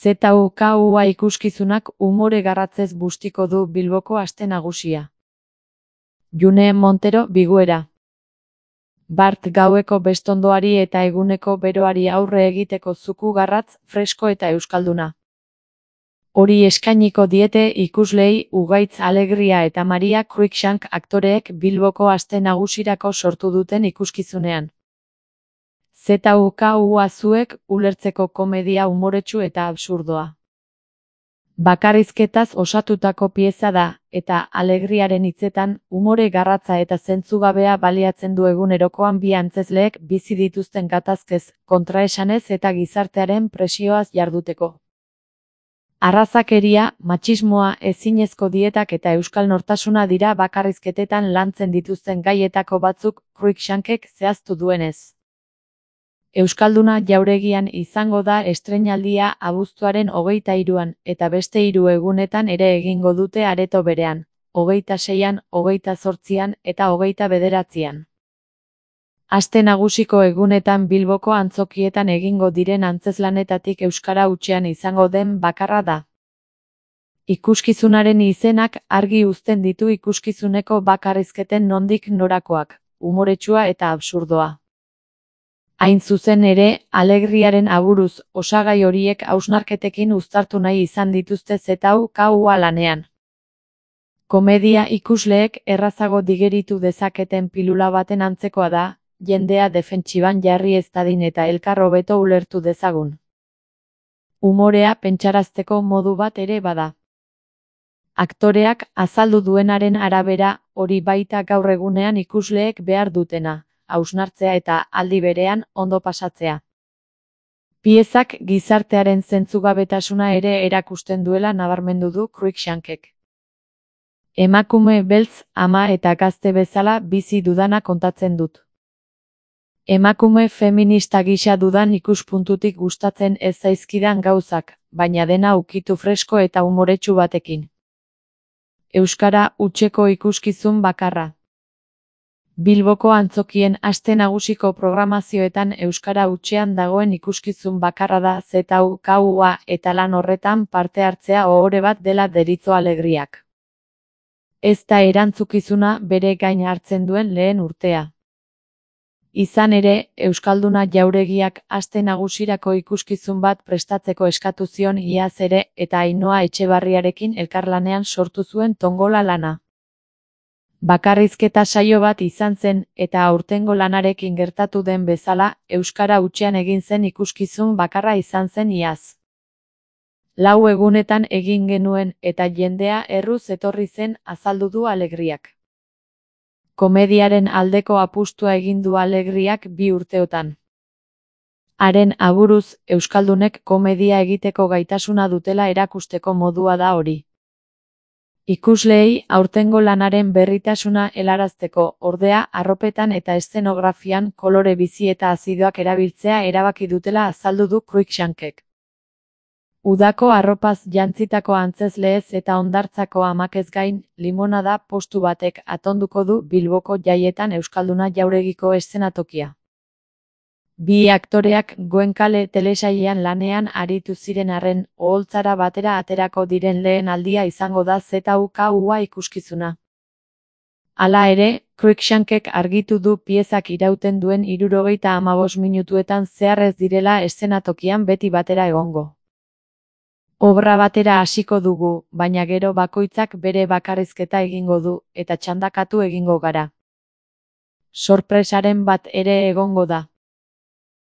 ZUKUA ikuskizunak umore garratzez bustiko du Bilboko aste nagusia. June Montero Biguera. Bart gaueko bestondoari eta eguneko beroari aurre egiteko zuku garratz, fresko eta euskalduna. Hori eskainiko diete ikusleei Ugaitz Alegria eta Maria Cruikshank aktoreek Bilboko aste nagusirako sortu duten ikuskizunean. ZUKUA zuek ulertzeko komedia umoretsu eta absurdoa. Bakarrizketaz osatutako pieza da, eta Alegriaren hitzetan, umore garratza eta zentzugabea baliatzen du egunerokoan bi antzezleek bizi dituzten gatazkez, kontraesanez eta gizartearen presioaz jarduteko. Arrazakeria, matxismoa, ezinezko dietak eta euskal nortasuna dira bakarrizketetan lantzen dituzten gaietako batzuk, Cruikshankek zehaztu duenez. Euskalduna jauregian izango da estreinaldia abuztuaren 23an, eta beste 3 egunetan ere egingo dute areto berean, 26an, 28an eta 29an. Aste nagusiko egunetan Bilboko antzokietan egingo diren antzezlanetatik euskara hutsean izango den bakarra da. Ikuskizunaren izenak argi uzten ditu ikuskizuneko bakarrizketen nondik norakoak, umoretsua eta absurdoa. Hain zuzen ere, Alegriaren aburuz, osagai horiek hausnarketekin uztartu nahi izan dituzte ZUKUA lanean. Komedia ikusleek errazago digeritu dezaketen pilula baten antzekoa da, jendea defentsiban jarri ez dadin eta elkar hobeto ulertu dezagun. Umorea pentsarazteko modu bat ere bada. Aktoreak azaldu duenaren arabera, hori baita gaur egunean ikusleek behar dutena. Hausnartzea eta, aldi berean, ondo pasatzea. Piezak gizartearen zentzugabetasuna ere erakusten duela nabarmendu du Cruikshankek. Emakume beltz, ama eta gazte bezala bizi dudana kontatzen dut. Emakume feminista gisa dudan ikuspuntutik gustatzen ez zaizkidan gauzak, baina dena ukitu fresko eta umoretsu batekin. Euskara hutseko ikuskizun bakarra. Bilboko antzokien aste nagusiko programazioetan euskara hutsean dagoen ikuskizun bakarra da ZUKUA eta lan horretan parte hartzea ohore bat dela deritzo Alegriak. Ez da erantzukizuna bere gain hartzen duen lehen urtea. Izan ere, Euskalduna jauregiak aste nagusirako ikuskizun bat prestatzeko eskatu zion iaz ere eta Ainhoa Etxebarriarekin elkarlanean sortu zuen tongola lana. Bakarrizketa saio bat izan zen, eta aurtengo lanarekin gertatu den bezala, euskara hutsean egin zen ikuskizun bakarra izan zen iaz. 4 egunetan egin genuen, eta jendea erruz etorri zen azaldu du Alegriak. Komediaren aldeko apustua egin du Alegriak 2 urteotan. Haren aburuz, euskaldunek komedia egiteko gaitasuna dutela erakusteko modua da hori. Ikusleei aurtengo lanaren berritasuna helarazteko, ordea, arropetan eta eszenografian kolore bizi eta azidoak erabiltzea erabaki dutela azaldu du Cruikshankek. Udako arropaz jantzitako antzezleez eta hondartzako amakez gain, limonada postu batek atonduko du Bilboko jaietan euskalduna jauregiko eszenatokia. Bi aktoreak Goenkale telesailean lanean aritu ziren arren, oholtzara batera aterako diren lehen aldia izango da ZUKUA ikuskizuna. Hala ere, Cruikshankek argitu du piezak irauten duen 75 minutuetan zehar ez direla eszenatokian beti batera egongo. Obra batera hasiko dugu, baina gero bakoitzak bere bakarrizketa egingo du, eta txandakatu egingo gara. Sorpresaren bat ere egongo da.